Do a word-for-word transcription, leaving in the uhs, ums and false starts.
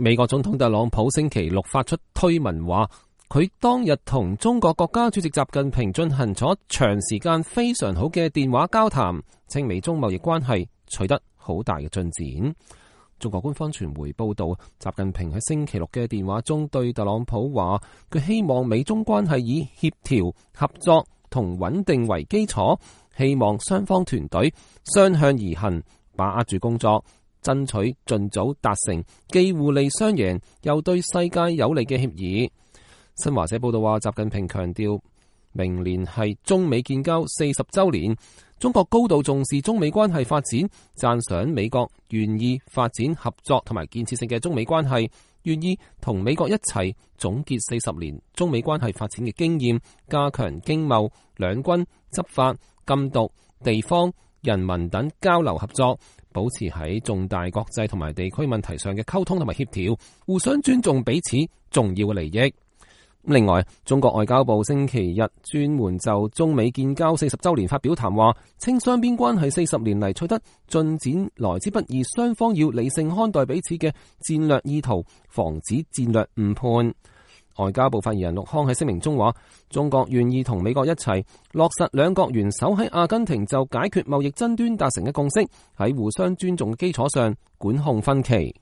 美國總統特朗普星期六發出推文話，佢當日同中國國家主席習近平進行咗長時間非常好嘅電話交談，稱美中貿易關係取得好大嘅進展。中國官方傳媒報道，習近平喺星期六嘅電話中對特朗普話，佢希望美中關係以協調、合作同穩定為基礎，希望雙方團隊相向而行，把握住工作，爭取盡早達成既互利雙贏又對世界有利嘅協議。新華社報道話，習近平強調，明年係中美建交四十週年，中國高度重視中美關係發展，讚賞美國願意發展合作同埋建設性嘅中美關係，願意同美國一齊總結四十年中美關係發展嘅經驗，加強經貿、兩軍、執法、禁毒、地方、人民等交流合作，保持喺重大國際同埋地區問題上嘅溝通同埋協調，互相尊重彼此重要嘅利益。另外，中國外交部星期日專門就中美建交四十週年發表談話，稱雙邊關係四十年嚟取得進展來之不易，雙方要理性看待彼此嘅戰略意圖，防止戰略誤判。外交部發言人陸康喺聲明中話，中國願意同美國一齊落實兩國元首喺阿根廷就解決貿易爭端達成嘅共識，喺互相尊重嘅基礎上管控分歧。